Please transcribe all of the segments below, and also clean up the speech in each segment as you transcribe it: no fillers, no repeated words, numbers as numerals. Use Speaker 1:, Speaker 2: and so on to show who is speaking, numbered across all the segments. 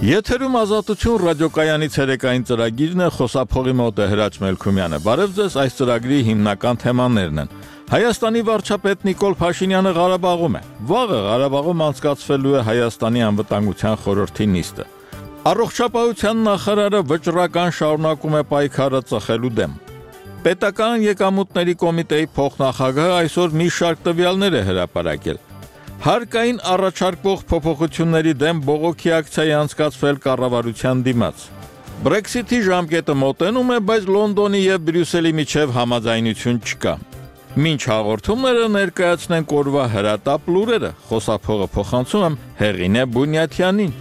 Speaker 1: Եթերում ազատություն ռադիոկայանի ցերեկային ծրագիրն է, խոսափողի մոտ է Հրաչ Մելքումյանը։ Բարև ձեզ, այս ծրագրի հիմնական թեմաներն են։ Հայաստանի վարչապետ Նիկոլ Փաշինյանը Ղարաբաղում է։ Վաղը Ղարաբաղում անցկացվելու է Հայաստանի անվտանգության խորհրդի նիստը։ Առողջապահության նախարարը վճռական շարունակում է պայքարը ծխելու դեմ։ Պետական եկամուտների կոմիտեի փոխնախագահը այսօր մի շարք տվյալներ է հրապարակել։ Հարկային առաջարկվող փոփոխությունների դեմ բողոքի ակցիա է անցկացվել կառավարության դիմաց։ Brexit-ի ժամկետը մոտենում է, բայց Լոնդոնի եւ Բրյուսելի միջև համաձայնություն չկա։ Մինչ հաղորդումները ներկայացնենք օրվա հրատապ լուրերը, խոսափողը փոխանցում եմ Հեղինե Բունյաթյանին։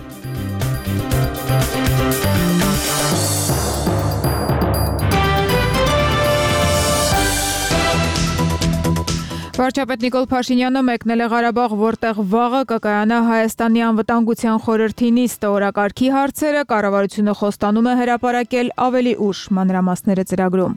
Speaker 2: Վարչապետ Նիկոլ Փաշինյանը մեկնել է Ղարաբաղ, որտեղ վաղը կկայանա Հայաստանի անվտանգության խորհրդի նիստը։ Օրակարգի հարցերը կառավարությունը խոստանում է հրապարակել ավելի ուշ, մանրամասները ծրագրում։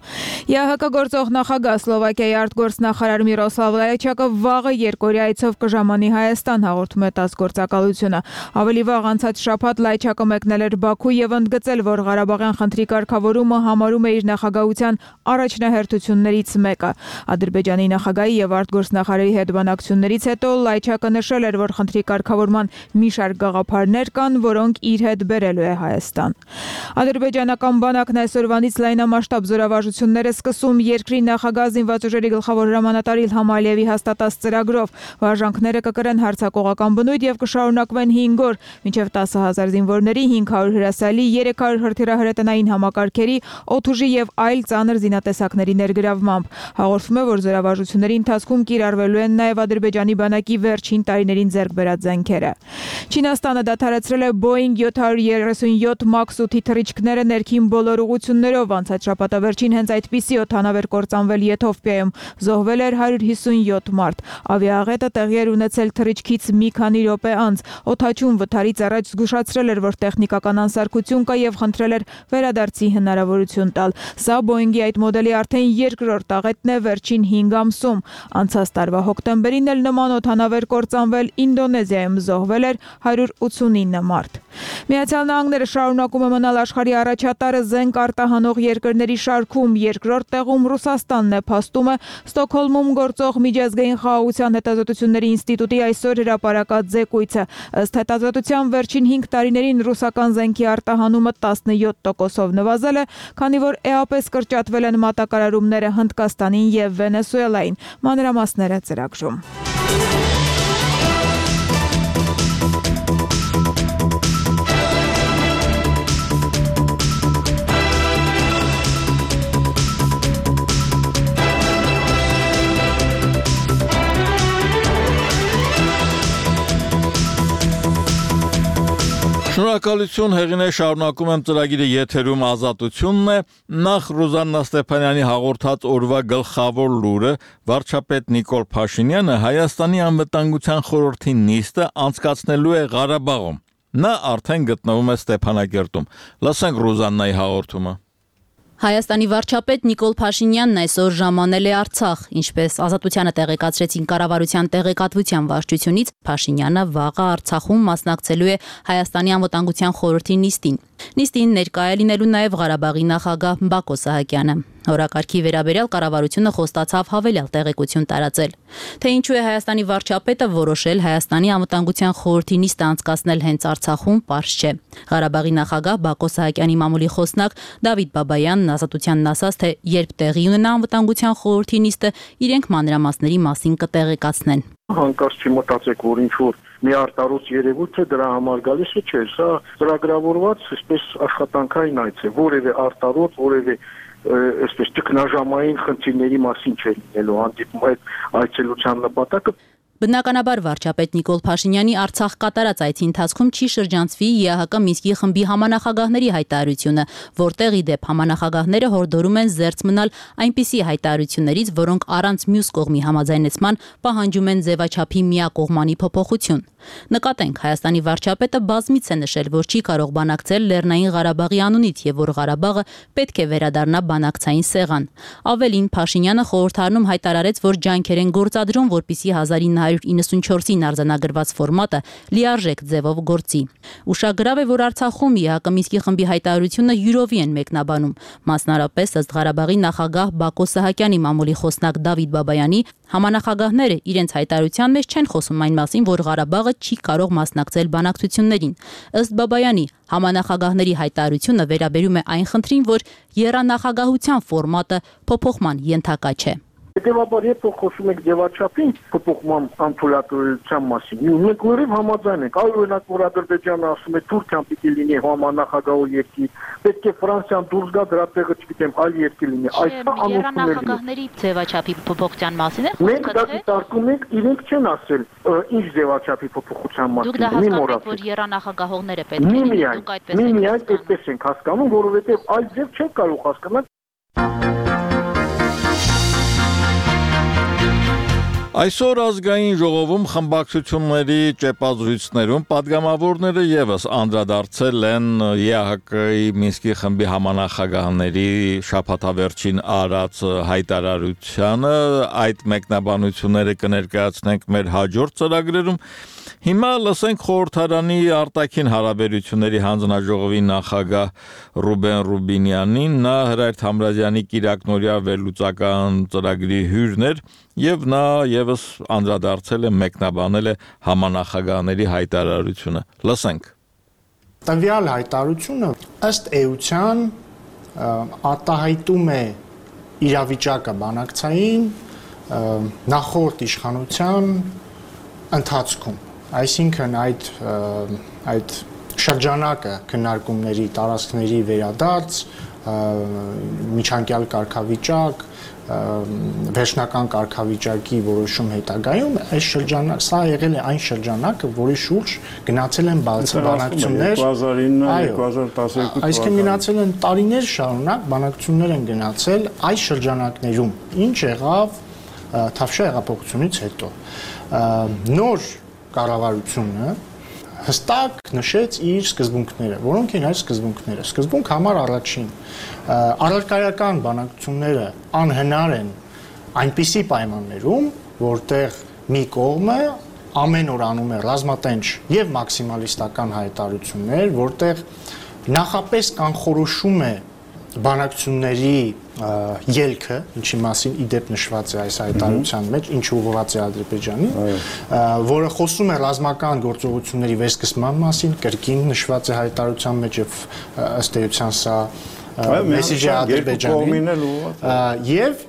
Speaker 2: ԵԱՀԿ գործող նախագահ Սլովակիայի արտգործնախարար Միրոսլավ Լայչակը վաղը երկօրյա այցով կժամանի Հայաստան, հաղորդում է ՏԱՍՍ գործակալությունը։ Ավելի վաղ անցած շաբաթ Լայչակը մեկնել էր Բաքու եւ ընդգծել, որ Ղարաբաղյան խնդրի կարգավորումը համարում է իր նախագահության առաջնահերթություններից մեկը։ Ադրբեջանի նախագահի եւ արտգործնախարարի հետ բանակցություններից հետո Լայչակը նշել էր, որ խնդրի կարգավորման մի շարք գաղափարներ կան, որոնք իր հետ բերելու է Հայաստան։ Ադրբեջանական բանակն այսօրվանից լայնամասշտաբ զորավարժություններ է սկսում երկրի նախագահ զինված ուժերի գլխավոր հրամանատար Իլհամ Ալիևի հաստատած ծրագրով։ Վարժանքները կկրեն հարձակողական բնույթ եւ կշարունակվեն 5 օր, մինչեւ 10,000 զինվորների, 500 հրասայլի, 300 հրթիռահրետանային համակարգերի, օդուժի եւ այլ ծանր զինատեսակների ներգրավմամբ։ Հաղորդվում է, որ զորավարժությունների ընթացքում կիրառվելու են նաև Ադրբեջանի բանակի վերջին տարիներին ձեռք բերած զենքերը։ Չինաստանը դադարեցրել է Boeing 737 MAX 8-ի թռիչքները ներքին բոլոր ուղություններով։ Անցած շաբաթավերջին հենց այդպիսի օդանավ էր կործանվել Եթովպիայում, զոհվել էր 157 մարդ։ Ավիաաղետը տեղի էր ունեցել թռիչքից մի քանի րոպե անց։ Օդաչուն վթարից առաջ զգուշացրել էր, որ տեխնիկական անսարքություն կա եւ խնդրել էր վերադարձի հնարավորություն տալ։ Սա Boeing-ի այդ մոդելի արդեն երկրորդ աղետն է վերջին 5 ամսում։ Անցած տարվա հոկտեմբերին էլ նման օդանավ էր կործանվել Ինդոնեզիայում, զոհվել էր 189 մարդ։ Միացյալ Նահանգները շարունակում է մնալ աշխարհի առաջատարը զենք արտահանող երկրների շարքում, երկրորդ տեղում Ռուսաստանն է, փաստում է Ստոկհոլմում գործող Միջազգային խաղաղության հետազոտությունների ինստիտուտի այսօր հրապարակած զեկույցը։ Ըստ հետազոտության վերջին 5 տարիներին ռուսական զենքի արտահանումը 17%-ով նվազել է, քանի որ էապես կրճատվել են մատակարարումները Հնդկաստանին եւ Վենեսուելային։ Մանրամասները ծրագրում։
Speaker 1: Շնորհակալություն Հեղինե, շարունակում եմ ծրագիրը եթերում ազատությունն է։ Նախ Ռուզաննա Ստեփանյանի հաղորդած օրվա գլխավոր լուրը, վարչապետ Նիկոլ Փաշինյանը Հայաստանի անվտանգության խորհրդի նիստը անցկացնելու է Ղարաբաղում։ Նա արդեն գտնվում է Ստեփանագերտում։ Լսենք Ռուզաննայի հաղորդումը։
Speaker 3: Հայաստանի վարչապետ Նիկոլ Փաշինյանն այսօր ժամանել է Արցախ, ինչպես Ազատությանը տեղեկացրեցին կառավարության տեղեկատվության վարչությունից, Փաշինյանը վաղը Արցախում մասնակցելու է Հայաստանի անվտանգության խորհրդի նիստին։ Նիստին ներկա է լինելու նաև Ղարաբաղի նախագահ Բակո Սահակյանը։ Օրակարգի վերաբերյալ կառավարությունը խոստացավ հավելյալ տեղեկություն տարածել։ Թե ինչու է Հայաստանի վարչապետը որոշել Հայաստանի անվտանգության խորհրդի նիստը անցկացնել հենց Արցախում, պարզ չէ։ Ղարաբաղի նախագահ Բակո Սահակյանի մամուլի խոսնակ Դավիթ Բաբայանն Ազատությանն ասաց, թե երբ տեղի ունենա անվտանգության խորհրդի նիստը, իրենք մանրամասների մասին կտեղեկացնեն։
Speaker 4: Հանկարծ չմտածեք, որ ինչ-որ մի արտարոց երևույթ է դրա համար գալիս է, չէ, սա ծրագրավորված այսպես աշխատանքային այց է, որևէ արտարոց, որևէ այսպես ճգնաժամային խնդիրների մասին չէ լինելու հանդիպում այդ այցելության նպատակը։
Speaker 3: Բնականաբար վարչապետ Նիկոլ Փաշինյանի Արցախ կատարած այցի ընթացքում չի շրջանցվի ԵԱՀԿ Մինսկի խմբի համանախագահների հայտարարությունը, որտեղ ի դեպ համանախագահները հորդորում են զերծ մնալ այնպիսի հայտարարություններից, որոնք առանց մյուս կողմի համաձայնեցման պահանջում են ձևաչափի միակողմանի փոփոխություն։ Նկատենք, Հայաստանի վարչապետը բազմից է նշել, որ չի կարող բանակցել Լեռնային Ղարաբաղի անունից եւ որ Ղարաբաղը պետք է վերադառնա բանակցային սեղան։ Ավելին, Փաշինյանը խորհրդարանում հայտարարեց, որ ջանքեր են գործադրում, որպիսի 1994-ին արձանագրված ֆորմատը լիարժեք ձևով գործի։ Ուշագրավ է, որ Արցախում ԵԱՀԿ Մինսկի խմբի հայտարարությունը յուրովի են մեկնաբանում, մասնարարպես ըստ Ղարաբաղի նախագահ Բակո Սահակյանի մամուլի խոսնակ Դավիթ Բաբայանի, համանախագահները իրենց հայտարարության մեջ չեն խոսում այն մասին, որ Ղարաբաղը չի կարող մասնակցել բանակցություններին։ Ըստ Բաբայանի, համանախագահների հայտարարությունը վերաբերում է այն խնդրին, որ եռանախագահության ֆորմատը փոփոխման ենթակա չէ։
Speaker 4: Հետևաբար, երբ խոսում եք ձևաչափին փոփոխման անթույլատվության մասին, մենք լրիվ համաձայն ենք։ Այլ օրինակ, որ Ադրբեջանը ասում է Թուրքիան պիտի լինի համանախագահ երկիր, պետք է Ֆրանսիան դուրս գա դրա տեղը, չգիտեմ, այլ երկիր լինի։ Այսա
Speaker 3: եռանախագահների ձևաչափի փոփոխության մասին է խոսքը։
Speaker 4: Մենք դա դիտարկում ենք, իրենք չեն ասել ինչ ձևաչափի փոփոխության մասին։
Speaker 3: Դուք դա հասկանում եք, որ եռանախագահողները պետք է լինեն, դուք այդպես եք
Speaker 4: հասկանում։ Այդպես ենք հասկանում, որովհետև այլ ձև չեք կարող հասկանալ։
Speaker 1: Այսօր ազգային ժողովում խմբակցությունների ճեպազրույցներում падգամավորները եւս անդրադարձել են ԵԱՀԿ-ի Մինսկի խմբի համանախագահների շաբաթավերջին արած հայտարարությանը, այդ մեկնաբանությունները կներկայացնենք մեր հաջորդ ծրագրերում։ Հիմա լսենք խորհրդարանի արտաքին հարաբերությունների հանձնաժողովի նախագահ Ռուբեն Ռուբինյանին, նա Հրայր Թամրազյանի կիրակնօրյա վերլուծական ծրագրի հյուրն էր եւ նա եւս անդրադարձել է մեկնաբանել է համանախագահների հայտարարությունը։ Լսենք։
Speaker 5: Տվյալ հայտարարությունը ըստ էության արտահայտում է իրավիճակը բանակցային նախորդ իշխանության ընթացքում, այսինքն այդ շրջանակը քննարկումների տարածքների վերադարձ, միջանկյալ կարգավիճակ, վերջնական կարգավիճակի որոշում հետագայում այս շրջանակ սա եղել է այն շրջանակը, որի շուրջ գնացել են բանակցություններ
Speaker 6: 2009-2012
Speaker 5: այսինքն գնացել են տարիներ շարունակ բանակցություններ են գնացել այս շրջանակներում, ինչ եղավ Թավշյա հեղափոխությունից հետո նոր կառավարությունը հստակ նշեց իր սկզբունքները, որոնք են այս սկզբունքները։ Սկզբունք համար առաջին առարկայական բանակցությունները անհնար են այնպիսի պայմաններում, որտեղ մի կողմը ամեն օր անում է ռազմատենչ եւ մաքսիմալիստական հայտարարություններ, որտեղ նախապես կանխորոշում է բանակցությունների ելքը, ինչի մասին իդեպ նշված է այս հայտարարության մեջ, ինչ ուղղված է Ադրբեջանին, որը խոսում է ռազմական գործողությունների վերսկսման մասին, կրկին նշված է հայտարարության մեջ եւ ըստ էության սա մեսիջ է Ադրբեջանին, եւ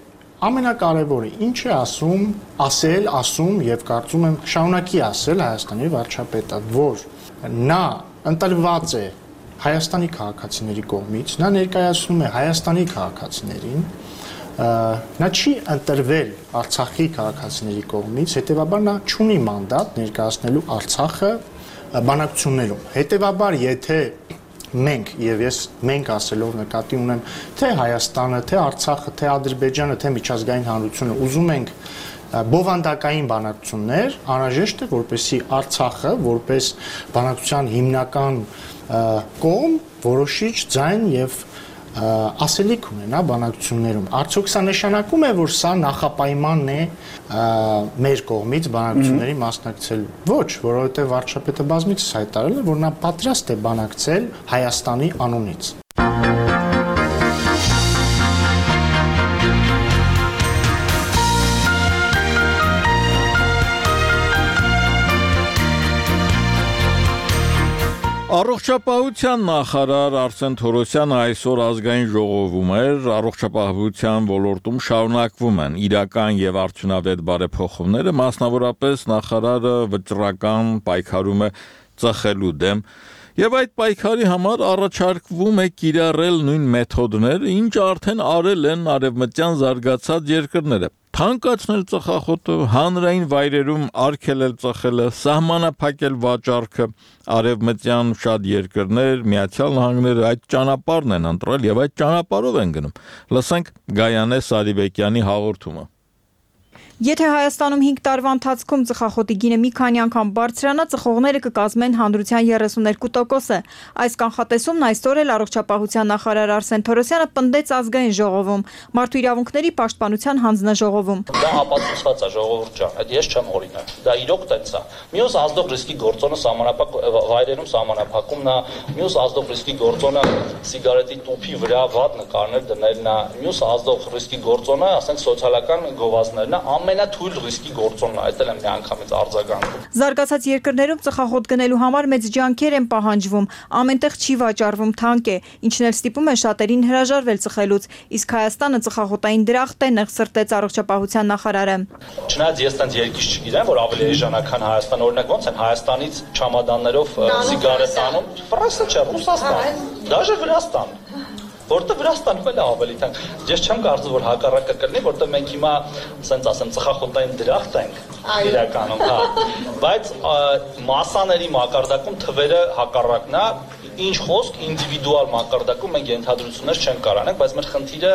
Speaker 5: ամենակարևորը ինչ է ասում եւ կարծում եմ շարունակի ասել Հայաստանի վարչապետը, որ նա ընտրված է Հայաստանի քաղաքացիների կողմից, նա ներկայացնում է Հայաստանի քաղաքացիներին, նա չի ընտրվել Արցախի քաղաքացիների կողմից, հետևաբար նա չունի մանդատ ներկայացնելու Արցախը բանակցություններում։ Հետևաբար, եթե մենք ասելով նկատի ունեմ, թե Հայաստանը, թե Արցախը, թե Ադրբեջանը, թե միջազգային հանրությունը ուզում ենք բովանդակային բանակցություններ, անհրաժեշտ է, որպեսզի Արցախը, որպես բանակցության հիմնական կողմ որոշիչ ձայն եւ ասելիք ունենա բանակցություններում։ Արդյոք սա նշանակում է, որ սա նախապայմանն է մեր կողմից բանակցությունների մասնակցելու։ Ոչ, որովհետեւ վարչապետը բազմիցս հայտարարել է, որ նա պատրաստ է բանակցել Հայաստանի անունից։
Speaker 1: Առողջապահության նախարար Արսեն Թորոսյանը այսօր ազգային ժողովում էր, առողջապահության ոլորտում շարունակվում են իրական եւ արդյունավետ բարեփոխումները, մասնավորապես նախարարը վճռական պայքարում է ծխելու դեմ եւ այդ պայքարի համար առաջարկվում է կիրառել նույն մեթոդները, ինչ արդեն արել են արևմտյան զարգացած երկրները։ Թանկացնել ծխախոտը, հանրային վայրերում արգելել ծխելը, սահմանափակել վաճառքը, արևմտյան շատ երկրներ, Միացյալ Նահանգները այդ ճանապարհն են ընտրել եւ այդ ճանապարհով են գնում։ Լսենք Գայանե Սարիբեկյանի հաղորդումը։
Speaker 2: Եթե Հայաստանում 5 տարվա ընթացքում ծխախոտի գինը մի քանի անգամ բարձրանա, ծխողները կկազմեն հանրության 32%-ը։ Այս կանխատեսումն այսօր էլ առողջապահության նախարար Արսեն Թորոսյանը պնդեց ազգային ժողովում, մարդու իրավունքների պաշտպանության հանձնաժողովում։
Speaker 7: Դա ապացուցված է, ժողովուրդ ջան, այդ ես չեմ օրինակ։ Դա իրոք տենց է։ Մյուս ազդող ռիսկի գործոնը վայրերում սահմանափակումն է, մյուս ազդող ռիսկի գործոնը սիգարետի տուփի վրա վատ նկարներ դնելն է, մյուս ազդող ռիսկի գործոնը, ասենք սոցիալական գովազդներն է, ամենաթույլ ռիսկի գործոնն է, այդ էլ եմ միանգամից արձագանքում։
Speaker 2: Զարգացած երկրներում ծխախոտ գնելու համար մեծ ջանքեր են պահանջվում, ամենտեղ չի վաճառվում, թանկ է, ինչն էլ ստիպում է շատերին հրաժարվել ծխելուց, իսկ Հայաստանը ծխախոտային դրախտ է, նեղսրտեց առողջապահության նախարարը։
Speaker 7: Չնայած ես տենց երկիշ չգիտեմ, որ ավելի էժանական Հայաստան, օրինակ ոնց են Հայաստանից չամադաններով սիգարետ անում, Ֆրանսիա չէ, Ռուսաստան, դաժե Վրաստան, որտեղ Վրաստանում էլ ավելի թանկ։ Ես չեմ կարծում, որ հակառակը կլինի, որտեղ մենք հիմա, ասենց ասեմ, ծխախոտային դրախտ ենք իրականում, հա, բայց մասաների մակարդակում թվերը հակառակն է, ինչ խոսք ինդիվիդուալ մակարդակում մենք ենթադրություններ չենք կարող անենք, բայց մեր խնդիրը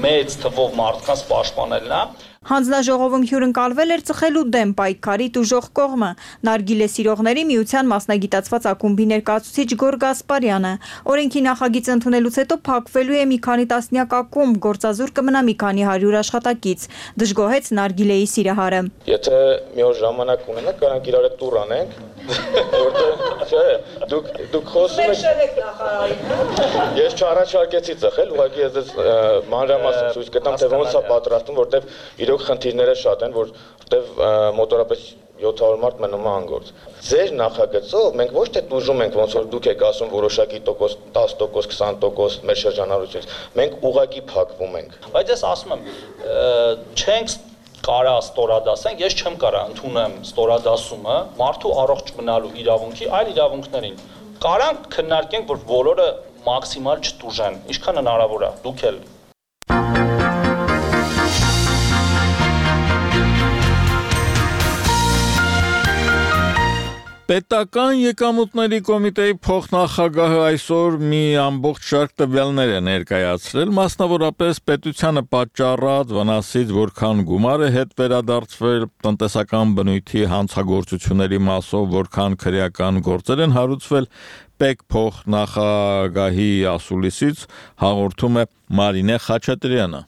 Speaker 7: մեծ թվով մարդկանց պաշտպանելն է։
Speaker 2: Հանձնաժողովում հյուրընկալվել էր ծխելու դեմ պայքարի տուժող կողմը։ Նարգիլե սիրողների միության մասնագիտացված ակումբի ներկայացուցիչ Գոր Գասպարյանը։ Օրենքի նախագիծը ընդունելուց հետո փակվելու է մի քանի տասնյակ ակումբ, գործազուրկ կմնա մի քանի 100 աշխատակից, դժգոհեց Նարգիլեի սիրահարը։
Speaker 8: Եթե մի օր ժամանակ ունենանք, կարանք իրար հետ տուր անենք, որտեղ չէ, դուք խոսում եք նախարարին։ Ես չառաջարկեցի ծխել, ուղղակի ես մանրամասն ցույց կտամ, թե ոնց է պատրաստում, որտեղ իրոք խնդիրները շատ են, որտեղ մոտորապես 700 մարդ մնում է անգործ։ Ձեր նախագծով մենք ոչ թե տուժում ենք, ոնց որ դուք եք ասում որոշակի տոկոս, 10%, 20% մեր շրջանառությունից, մենք ուղղակի փակվում ենք։
Speaker 7: Բայց ես ասում եմ, չենք կարա ստորադասենք, ես չեմ կարա ընդունեմ ստորադասումը մարդու առողջ մնալու իրավունքի այլ իրավունքներին։ Կարանք քննարկենք, որ բոլորը մաքսիմալ չտուժեն, ինչքան հնարավոր է, դուք էլ։
Speaker 1: Պետական եկամուտների կոմիտեի փոխնախագահը այսօր մի ամբողջ շարք տվյալներ է ներկայացրել, մասնավորապես պետությանը պատճառած վնասից որքան գումար է հետ վերադարձվել, տնտեսական բնույթի հանցագործությունների մասով որքան քրեական գործեր են հարուցվել, ՊԵԿ փոխնախագահի ասուլիսից հաղորդում է Մարինե Խաչատրյանը։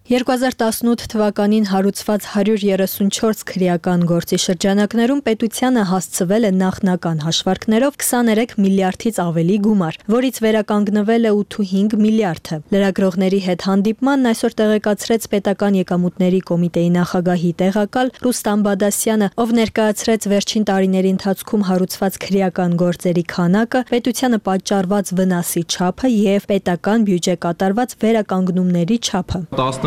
Speaker 9: 2018 թվականին հարուցված 134 քրեական գործի շրջանակներում պետությանը հասցվել է նախնական հաշվարկներով 23 միլիարդից ավելի գումար, որից վերականգնվել է 8.5 միլիարդը։ Լրագրողների հետ հանդիպմանն այսօր տեղեկացրեց պետական եկամուտների կոմիտեի նախագահի տեղակալ Ռուստամ Բադասյանը, ով ներկայացրեց վերջին տարիների ընթացքում հարուցված քրեական գործերի քանակը, պետությանը պատճառված վնասի չափը եւ պետական բյուջե կատարված վերականգնումների չափը։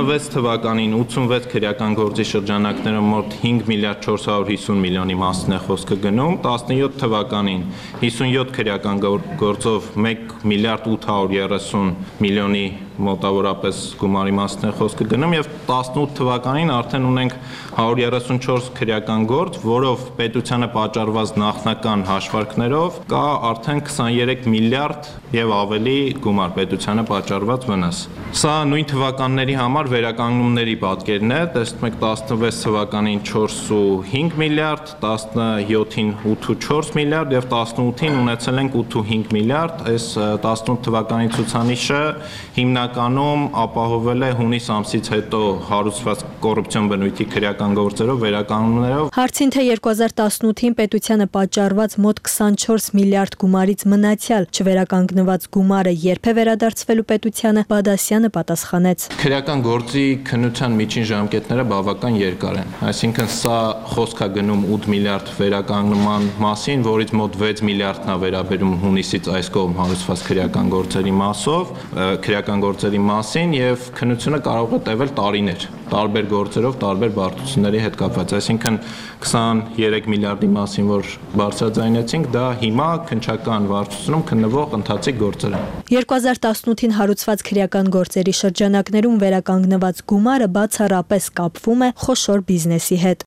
Speaker 10: 16 թվականին 86 քրեական գործի շրջանակներում մոտ 5 միլիարդ 450 միլիոնի մասին է խոսքը գնում, 17 թվականին 57 քրեական գործով 1 միլիարդ 830 միլիոնի մոտավորապես գումարի մասին է խոսքը գնում եւ 18 թվականին արդեն ունենք 134 քրեական գործ, որով պետությանը պատճառված նախնական հաշվարկներով կա արդեն 23 միլիարդ եւ ավելի գումար պետությանը պատճառված վնաս։ Սա նույն թվականների համար վերականգնումների պատկերն է, տեսնում եք 16 թվականին 4.5 միլիարդ, 17-ին 8.4 միլիարդ եւ 18-ին ունեցել ենք 8.5 միլիարդ, այս 18 թվականի ցուցանիշը հիմնականում ապահովել է հունիս ամսից հետո հարուցված կոռուպցիոն բնույթի քրեական գործերով, վերականգնումներով։
Speaker 9: Հարցին թե 2018-ին պետությանը պատճառված մոտ 24 միլիարդ գումարից մնացյալ չվերականգնված գումարը երբ է վերադարձվելու պետությանը, Բադասյանը պատասխանեց.
Speaker 10: Քրեական գործի քննության միջին ժամկետները բավական երկար են, այսինքն սա խոսք է գնում 8 միլիարդ վերականգնման մասին, որից մոտ 6 միլիարդն է վերաբերում հունիսից այս կողմ հարուցված քրեական գործերի մասով, քրեական գործերի մասին եւ քննությունը կարող է տևել տարիներ, տարբեր գործերով, տարբեր բարդությունների հետ կապված, այսինքն 23 միլիարդի մասին, որ բարձրաձայնեցինք, դա հիմա քննչական վարչությունում քննվող ընթացիկ գործեր են։
Speaker 9: 2018-ին հարուցված քրեական գործերի շրջանակներում վերականգնված գումարը բացառապես կապվում է խոշոր բիզնեսի հետ։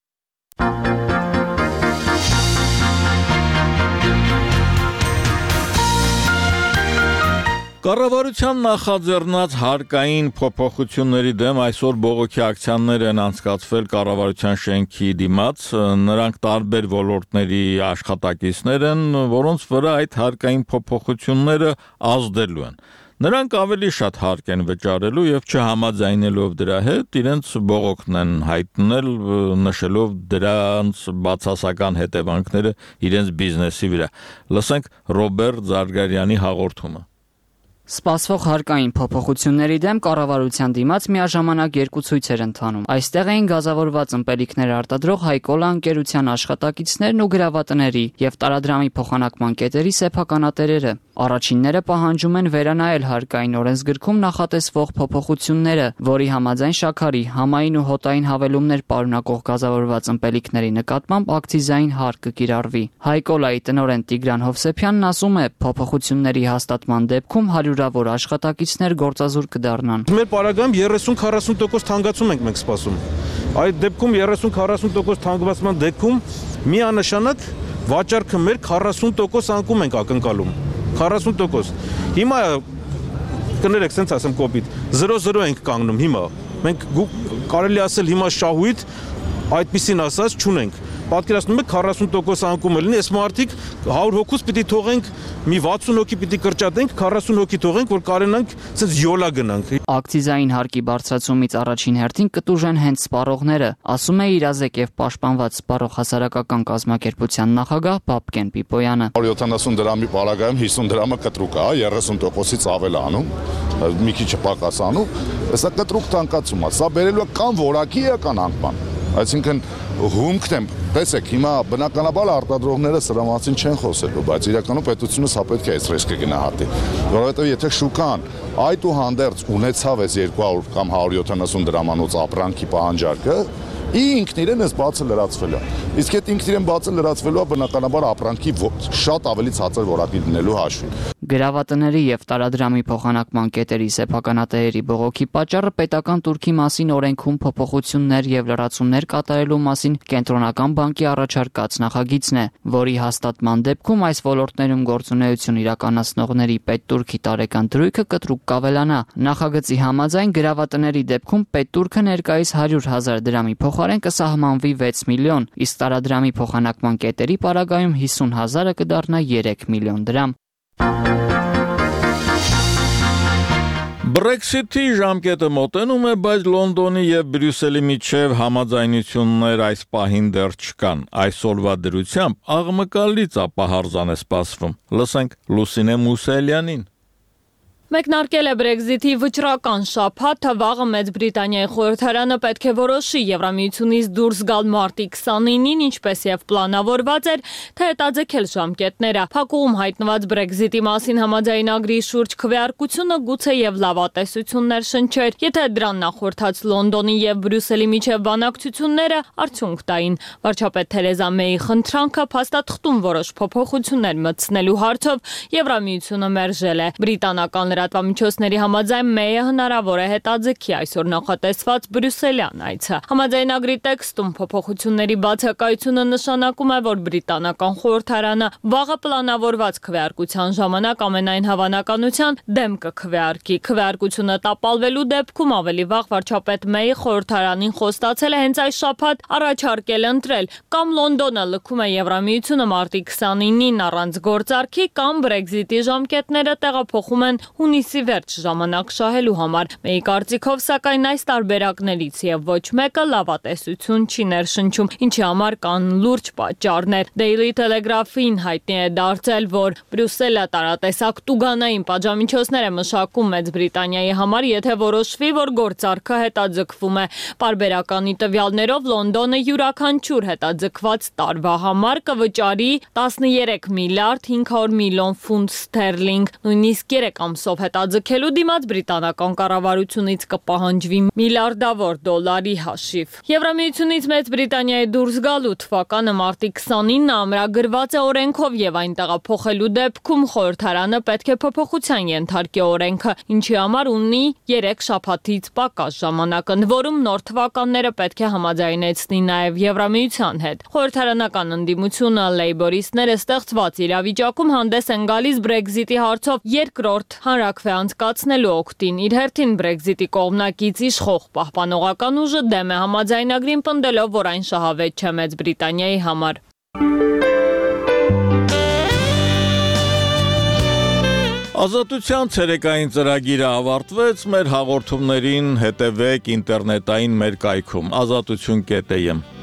Speaker 1: Կառավարության նախաձեռնած հարկային փոփոխությունների դեմ այսօր բողոքի ակցիաներ են անցկացվել կառավարության շենքի դիմաց, նրանք տարբեր ոլորտների աշխատակիցներ են, որոնց վրա այդ հարկային փոփոխությունները ազդելու են։ Նրանք ավելի շատ հարկ են վճարելու եւ չհամաձայնելով դրա հետ իրենց բողոքն են հայտնել, նշելով դրանց բացասական հետևանքները իրենց բիզնեսի վրա։ Լսենք Ռոբերտ Զարգարյանի հաղորդումը։
Speaker 11: Սպասվող հարկային փոփոխությունների դեմ կառավարության դիմաց միաժամանակ երկու ցույց էր ընթանում։ Այստեղ էին գազավորված ըմպելիքներ արտադրող Հայկոլա ընկերության աշխատակիցներն ու գրավատների եւ տարադրամի փոխանակման կետերի սեփականատերերը։ Առաջինները պահանջում են վերանայել հարկային օրենսգրքում նախատեսվող փոփոխությունները, որի համաձայն շաքարի, համային ու հոտային հավելումներ պարունակող գազավորված ըմպելիքների նկատմամբ ակցիզային հարկ կկիրառվի։ Հայկոլայի տնօրեն Տիգրան Հովսեփյանն ասում է, փոփոխությունների հաստատման դեպքում հարյուրավոր աշխատակիցներ գործազուրկ կդառնան։
Speaker 6: Մեր պարագայում 30-40% թանկացում ենք մենք սպասում։ Այդ դեպքում 30-40% թանկացման դեպքում միանշանակ վաճառքը մեր 40% անկում ենք ակնկալում։ 40%։ Հիմա կներեք, սենց ասեմ կոպիտ, 0-0 ենք կանգնում հիմա։ Մենք կարելի ասել հիմա շահույթ այդպիսին ասած չունենք։ Պատկերացնում եք 40% անկում է լինի, այս մարդիկ 100 հոգուց պիտի թողենք, մի 60 հոգի պիտի կրճատենք, 40 հոգի թողենք, որ կարենանք սենց յոլա գնանք։
Speaker 11: Ակցիզային հարկի բարձրացումից առաջին հերթին կտուժեն հենց սպառողները, ասում է իրազեկ եւ պաշտպանված սպառող հասարակական կազմակերպության նախագահ Բաբկեն Պիպոյանը։
Speaker 12: 70 դրամի պարագայում 50 դրամը կտրուկ է, 30%-ից ավել անում, մի քիչ պակաս անում, սա կտրուկ թանկացում է, սա բերելու է կամ որակի էական անկման, այսինքն հումքն եմ, տեսեք, հիմա բնականաբար արտադրողները սրա մասին չեն խոսելու, բայց իրականում պետությունը սա պետք է այս ռիսկը գնահատի, որովհետև եթե շուկան այդուհանդերձ ունեցավ այս 200 կամ 170 դրամանոց ապրանքի պահանջարկը, ինքն իրեն էս բացը լրացվել է։ Իսկ այդ ինքն իրեն բացը լրացվելու է բնականաբար ապրանքի շատ ավելի ցածր որակի դնելու հաշվին։
Speaker 11: Գրավատների եւ տարադրամի փոխանակման կետերի սեփականատերերի բողոքի պատճառը պետական турքի մասին օրենքում փոփոխություններ եւ լրացումներ կատարելու մասին կենտրոնական բանկի առաջարկած նախագիծն է, որի հաստատման դեպքում այս ոլորտներում գործունեություն իրականացնողների պետտուրքի տարեկան դրույթը կտրուկ կավելանա։ Նախագծի համաձայն գրավատների դեպքում պետտուրքը ներկայիս 100,000 դրամի փոխարեն կսահմանվի 6 միլիոն, իսկ տարադրամի փոխանակման կետերի պարագայում 50,000-ը կդառնա 3 միլիոն դրամ։
Speaker 1: Brexit-ի ժամկետը մոտենում է, բայց Լոնդոնի եւ Բրյուսելի միջև համաձայնություններ այս պահին դեռ չկան։ Այսօրվա դրությամբ աղմկալից ապահարզան է սպասվում։ Լսենք Լուսինե Մուսելյանին։
Speaker 13: Մեկնարկել է Brexit-ի վճռական շաբաթը, վաղը Մեծ Բրիտանիայի խորհրդարանը պետք է որոշի Եվրամիությունից դուրս գալ մարտի 29-ին, ինչպես եւ պլանավորված էր, թե հետաձգել ժամկետները։ Փակուղում հայտնված Brexit-ի մասին համաձայնագրի շուրջ քվեարկությունը գուցե եւ լավատեսություններ շնչեր, եթե դրան նախորդած Լոնդոնի եւ Բրյուսելի միջև բանակցությունները արդյունք տային։ Վարչապետ Թերեզա Մեյի խնդրանքը փաստաթղթում որոշ փոփոխություններ մտցնելու հարցով Եվրամիությունը մերժել է։ Բրիտանական լրատվամիջոցների համաձայն Մեյը հնարավոր է հետաձգի այսօր նախատեսված Բրյուսելյան այցը։ Համաձայնագրի տեքստում փոփոխությունների բացակայությունը նշանակում է, որ բրիտանական խորհրդարանը վաղը պլանավորված քվեարկության ժամանակ ամենայն հավանականության դեմ կքվեարկի։ Քվեարկությունը տապալվելու դեպքում ավելի վաղ վարչապետ Մեյը խորհրդարանին խոստացել է հենց այս շաբաթ առաջարկել ընտրել կամ Լոնդոնը լքում է Եվրամիությունը մարտի 29-ին առանց գործարքի, կամ Brexit-ի ժամկետները տեղափոխում են հունիսի վերջ ժամանակ շահելու համար։ Մեյի կարծիքով, սակայն այս տարբերակներից եւ ոչ մեկը լավատեսություն չի ներշնչում, ինչի համար կան լուրջ պատճառներ։ Daily Telegraph-ին հայտնի է դարձել, որ Բրյուսելը տարատեսակ տուգանային պատժամիջոցներ է մշակում Մեծ Բրիտանիայի համար, եթե որոշվի, որ գործարքը հետաձգվում է։ Պարբերականի տվյալներով Լոնդոնը յուրաքանչյուր հետաձգված տարվա համար կվճարի 13 միլիարդ 500 միլիոն ֆունտ ստերլինգ, նույնիսկ 3 ամսով հետաձգելու դիմաց բրիտանական կառավարությունից կպահանջվի միլիարդավոր դոլարի հաշիվ։ Եվրամիությունից Մեծ Բրիտանիայի դուրս գալու թվականը մարտի 29-ը ամրագրված է օրենքով եւ այն տեղափոխելու դեպքում խորհրդարանը պետք է փոփոխության ենթարկի օրենքը, ինչի համար ունի 3 շաբաթից պակաս ժամանակ, ընդ որում նոր թվականները պետք է համաձայնեցնի նաեւ Եվրամիության հետ։ Խորհրդարանական ընդդիմությունը լեյբորիստները ստեղծված իրավիճակում հանդես են գալիս Brexit-ի հարցով երկրորդ հանրաքվեի կերակրվե անցկացնելու օգտին։ Իր հերթին Brexit-ի կողմնակից իշխող պահպանողական ուժը դեմ է համաձայնագրին, պնդելով, որ այն շահավետ չէ Մեծ Բրիտանիայի համար։
Speaker 1: Ազատության ցերեկային ծրագիրը ավարտվեց, մեր հաղորդումներին հետևեք ինտերնետային մեր կայքում azatutun.am